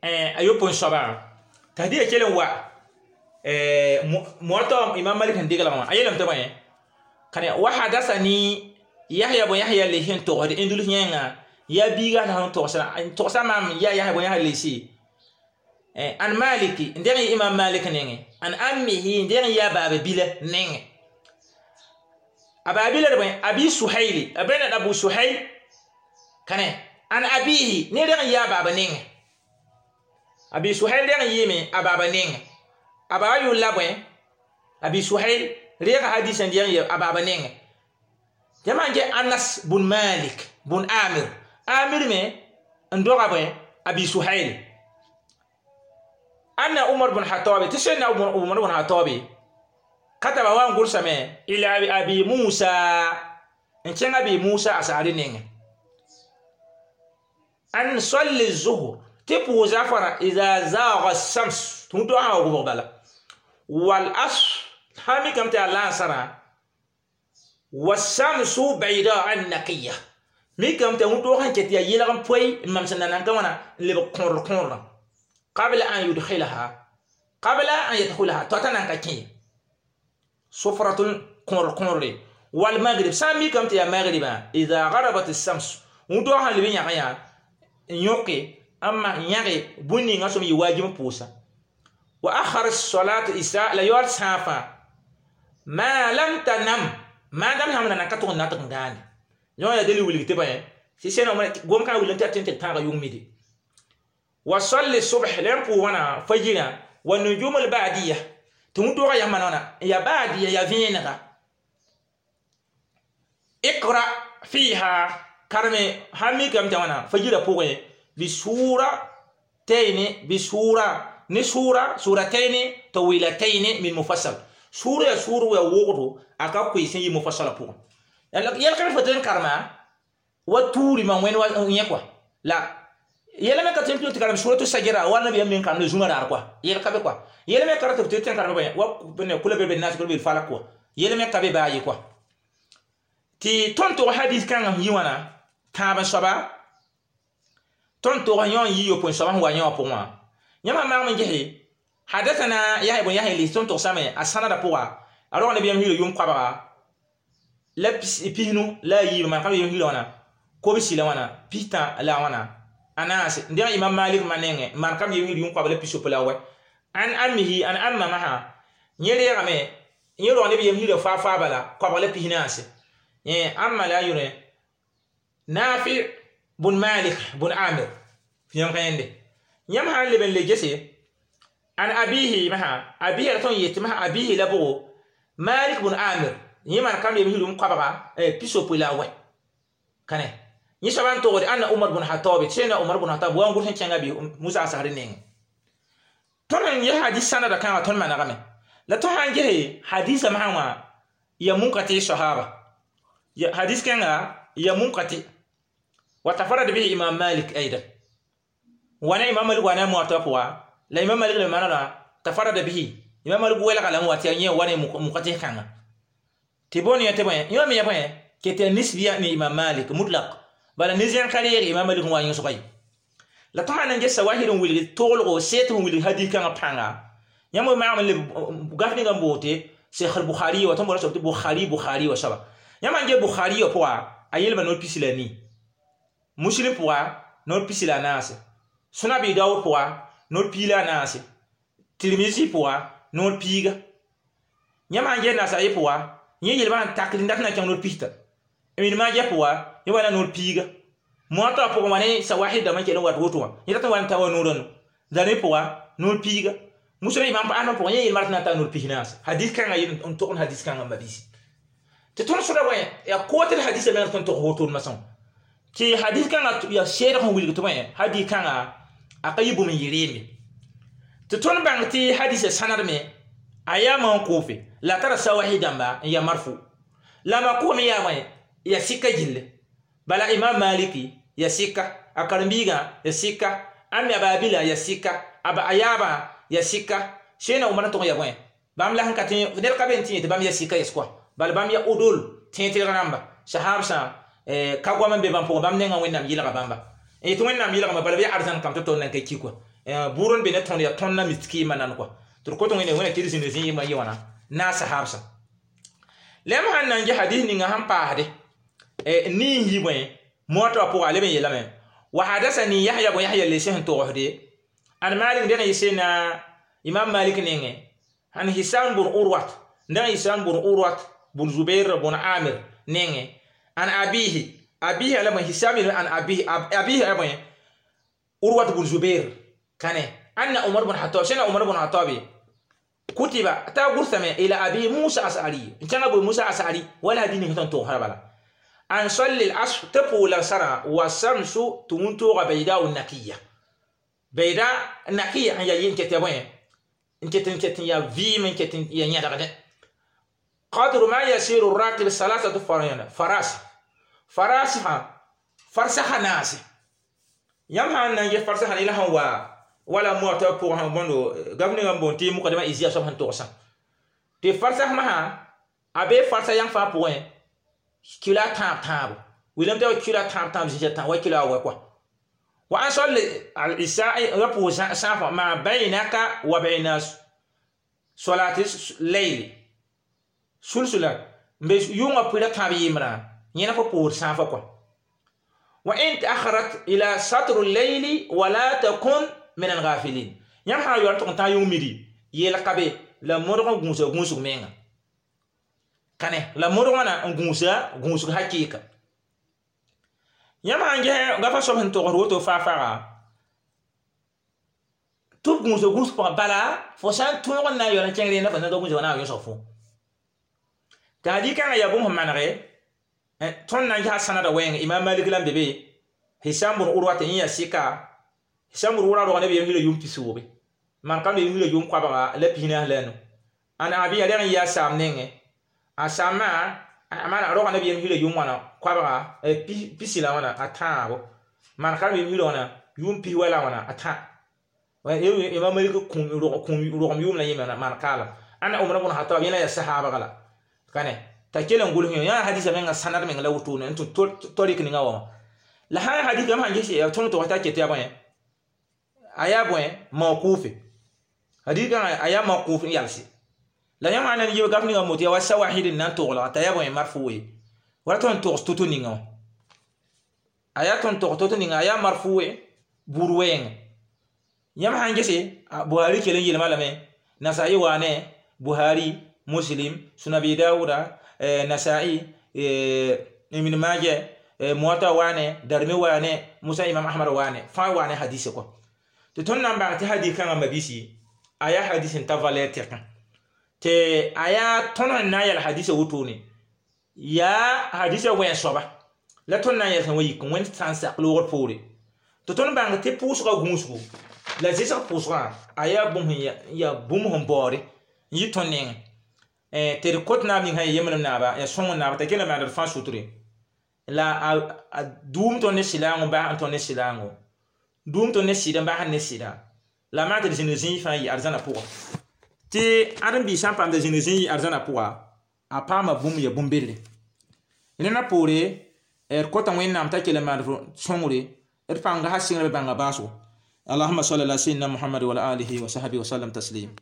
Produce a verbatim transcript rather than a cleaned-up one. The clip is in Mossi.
A yopoe soabã t'a hadisa kell n wa Muwatta Imam Malik sẽn deglg wã, a yeelame tɩ bõe kane: wa hadasani Yahya bn Yahya Lesi n togsd Indulus yẽnga, yaa biiga la sẽn togsã togsa maam yaa Yahya bn Yahya Lesi an Maliki n deng Imam Malik nengẽ, an ammihi n deng yaa baaba bila nengẽ, a baabila d bõe Abi Suhaili, a bẽna Abu Suhail kane, an abihi ne reng yaa baaba nengẽ. Abi Suhail reng yɩɩme a baaba nengẽ, a baaba yʋl la bõe? Abi Suhail reega hadis n deng a baaba nengẽ. Tɩ man ge Anas bun Malik bun Amir, Amir me n doga bõe Abi Suhail, anna Umar bun Hatabi, tɩ sẽnna Umar bun Hatabi kataba wa n gʋlsame ila Abi Musa n kẽng Abi Musa Asari nengẽ an salli zuhur, tɩ pʋʋsa fara ida zaaga shams, tɩ wẽn sã wa gʋbg bala, wal asr sã mikame tɩ yaa laansarã, wasamsu bayda an naqiya, mikame tɩ wẽn sẽn ket yaa yelg n poe n mam sẽn na nan ka wãna n lebg kõor kõorã, qabla an yudkhilaha, qabla an yadkhulaha, tɩ ta nan ka kẽ sufratun kõor kõore, wal maghrib sã n mikame tɩ yaa magribã, ida garabat shams, wẽn sã leb n yãg yã n yõke n yãge bũn ninga sõm yɩ wajib n pʋʋsa, wa akhara salat isha la yaool sãafã ma lam tanam maadam sãm na ka tʋg n na tɩg n gãande yõ yaa dali wilg tɩ bõe tɩ sẽn gom kãa wilg tɩ yaa tɩ tãaga yʋng mide, wa salli subh la n pʋʋs wãna fajirã, wa nujum al badiya, tɩ wẽn-doogã yãmba noona ya badiya ya vẽenega, iqra fiha karme sãn mikame tɩ wãna fajirã pʋgẽ bisura tayni bisura ni sura surataini tawilataini min mufassal, sura ya sura ya wogdo a ka koe sẽn yɩ mufassala pʋgẽ yɛlkẽ fo tɩ n karema wa tuuri mam wẽnd wa yẽ kɔa la yɛla me ka tɩ n tɩ karem suratu sajara wa nabiyam men karem zũma raar kɔa yɛl ka be kɔa yɛla me ka tɩ tɩ n karem bõe wa kula be be nas kula be falak kɔa yɛla me ka be baa ye kɔa. Tɩ tõnd tog hadis kãngã sẽn yi wãna tãab n soaba, tõnd tog yõ n yi yopoe soaba sẽn wa yõ wã pʋgẽ wã, yãmb maag n gese hadathana Yahya bn Yahya lis tõnd togsame a sãnada pʋga a rog nabiyam hirã yʋm koabga la pisnu la a yiib maan kam yem hirã wãna kobsi la wãna pistã la wãna anaase n dẽg Imam Malik ma nengẽ maan kam yem hir yʋm koabg la pisopo la wɛ an amihi an amma masã yẽ reegame yẽ rog neb yem hirã faa faa bala koabg la pisnaase amma la a yʋrẽ Nafi bun Malik bun Amir yãmb ka yẽnde yãmb sã n leb n le gese an abihi masã abihi la tõn yetɩ masã abihi la bʋgo Malik bun Amir yẽ maan kam yem hirum koabga pisopoe la a wɛ kane yẽ soaba n togd anna Umar bun Hatabi, tɩ sẽna Umar bun Hatab wa n gʋls n kẽnga Bi Musa Asari nengẽ. Tõnd n ges hadis sãnada kãngã tõnd manegame la tõnd sã n gese hadisã masã wã ya munkati sahaba hadis kẽnga ya munkati wa tafarad bihi Imam Malik aidan wana Imam Malik wana Muwatta pʋga la Imam Malik le manana tafarada bihi Imam Malik welga la wati yẽ wana munkati kãnga tɩ bõn yã tɩ bõe yõ me ya bõe ket nisbiya ni Imam Malik mutlaq bala nizẽn ka reeg Imam Malik n wa yõsga ye la tõnd sã n ges sawahir n wilg toglgo seet n wilg hadis kãngã pãnga yãmb maagm n leb gaf ninga n boote Cheikh al-Bukhari wa tõnd bola soab tɩ Bukhari Bukhari wa soaba yãmb sãn get Bukhari wã pʋga a yelma noor pisi la nii, Muslim pʋga noor pisi la naase, Sũn Abi Daoud pʋga noor pii la a naase, Tirmizi pʋga noor piiga, yãmb sãn get Nasai pʋga yẽ yelbã sẽn tak n dat na kẽng noor pista, Ibn Majah pʋga yẽ wa na noor piiga, Muwatta pʋgẽ wã ne sawahid dãmbã n kell n wat woto wã yẽ dat n wa n ta wa noorã nu Darimi pʋga noor piiga, Muslim Imam Ahmad pʋgẽ yẽ yelma rat na n taa noor pis naase hadis kãngã yel n tog n hadis kãngã mabiisi tɩ tõnd sõda bõe yaa kootd hadisã meng tõnd tog wotod masã tɩ hadis kãngã yaa seedg sẽn wilg tɩ bõe hadis kãngã a ka yɩ bũmb n yɩ reembe tɩ tõnd bãng tɩ hadisã sãnadme a yaa mawqufe la tara sawahi dãmba n yaa marfu la mawquf me yaa bõe ya sɩka gilli bala Imam Maliki ya sɩka a karen-biigã ya sɩka a me a baabila ya sɩka a a yaabã ya sɩka sẽna Umar n tʋg ya bõe bãmb la sẽn ka tẽ ned ka be n tẽ tɩ bãmb ya sɩka yes kɔa bala bãmb ya odol tẽ tɩlg rãmba sahabsã ka goam n be bãmb pʋgẽ bãmb nengã Wẽnnaam yɩlga bãmba n yetɩ Wẽnnaam yɩlgame bala bɩ ya arzãn kam tɩ tol nan ka ki kɔa Buur n be ne tõnd yaa tõnd na miskɩɩmã nan kɔa tɩ d kot wẽne wẽna tɩ d zĩnd zĩ yɩ wãna naasa habsã lem sãn na n ges hadis ninga sẽn paasde nii n yi bõe moata wã pʋga a leb n yeelame wa hadasani Yahya bun Yahya le sẽn togsde an Malik dẽg yɩ sẽna Imam Malik nengẽ an Hisam bun Urwat dẽg Hisam bun Urwat bun Zubair bun Amir nengẽ an abihi abihi ala bõe Hisam an abihi abihi ala bõe Urwat bun Zubair kane anna Umar bun Khattab sẽna Umar bun Khattab kutiba ta gursame ila abi Musa As'ari n kẽngã Abu Musa As'ari wala hadis ning tõnd togsã bala an salli al-asr tɩ pʋʋla sãrã wa samsu tɩ wũntooga bayda nakiya bayda nakiya n yaa n ket ya bõe n ket n ket n yaa vɩɩm n ket n ya yẽdgdẽ qadru ma yasiru rakib salasatu faras farasiha farsaha naase yãmb sãn na n ges farsaha la sẽn wa wala moata pʋgẽ sẽn bõndo gaf ninga n boond tɩ mukadma izia soab sẽn togsã tɩ farsas masã a bee farsa yãng fãa pʋgẽ kilo a tãab tãabo wilame tɩ kilo a tãab tãab zĩsã tã wa kilo a wɛ kɔa wa an salli al-isha'i ra pʋʋs sãafã ma baynaka wa bayna solati layli sulsula n be yʋngã pʋɩra tãab yɩmbrã yẽna fo pʋʋs sãafã kɔa wa in taakharat ila satru layli wala takun min al-ghafilin yãmb sã n yaool tɩg n tã yʋng midi yeel ka be la modg n gũusa gũusg menga kane la modg wãna n gũusa gũusg hakɩɩka yãmb sã n ges gafa soab sẽn togsd woto faa-faaga tɩ b gũusa gũusg pʋgã bala fo sã n tõog n na n yaool n kẽng rẽnda fo na n gũusa wã na n yõsg fo t'a hadis-kãngã yaa bũmb sẽn manege tõnd na n gesa sãnada wɛɛng Imam Malik la n be be Hisam bun Urwat yẽ yaa sɩka Hisam bun Urwa rog neb yem hila yʋʋm pisoobe man kam yem hila yʋʋm koabga la pis naas la a nu an abi rẽg n yaa saam nengẽ a saamã mana roga neb yem hila yʋʋm wãna koabga pisi la wãna a tãabo man kam yem hila wãna yʋʋm pis wa la wãna a tã Imam Malik rogem yʋʋm la yẽ man kaala ãnna Umar bun Khattab yẽ la yaa sahaabga la kane t'a kell n gʋls yã hadisa menga sãnad meng la wotone n tɩ torik ninga wã la sã n hadis yãmb sãn ges tõnd tog t'a ket yaa bõe a yaa bõe mawkufe hadis kãngã a yaa mawkuf n yalse la yãmb sã n na n yib gaf ninga moto yaa wa sawahid n na n toglga t'a yaa bõe marfu ye wala tõnd togs to-to ninga wã a yaa tõnd togs to-to ninga a yaa marfu ye buud wɛɛngẽ yãmb sã n gese Buhari kell n yelma lame Nasa'i waane Buhari Muslim Sunan Abi Dawuda Nasa'i Ibn Majah Muwatta waane Darimi waane Musa Imam Ahmad waane fãa waane hadise kɔ tɩ tõnd na n bãng tɩ hadis kãngã mabisi a yaa hadis n ta valeur tɛkã tɩ a yaa tõnd sẽn na n yɛl hadisa wotone yaa hadisa wẽn soaba la tõnd na n yɛl sẽn wa yik wẽnd sã n sak loogr poore tɩ tõnd bãng tɩ pʋʋsgã gũusgo la zɩsg pʋʋsgã a yaa bũmb yaa bũmb sẽn baoode n yɩ tõnd nengẽ tɩ d kot naab ning sã ya yembrem naaba ya sõng naaba t'a kell n maand d fãa sutre la a duum tõnd ne sɩlaango n bas n tõnd ne sɩlaango duum tõnd ne sɩd n bas ne sɩda la maan tɩ d zĩnd zĩig fãa yɩ arzãna pʋga tɩ ãdem-biis sã n paam tɩ zĩnd zĩig yɩ arzãna pʋga a paama bũmb ya bũmb-bedre rẽnã poore d kota Wẽnnaam t'a kell n maand sõngre d pãnga sã sɩngr b bãnga baasgo اللهم صل على سيدنا محمد وعلى آله وصحبه وسلم تسليم.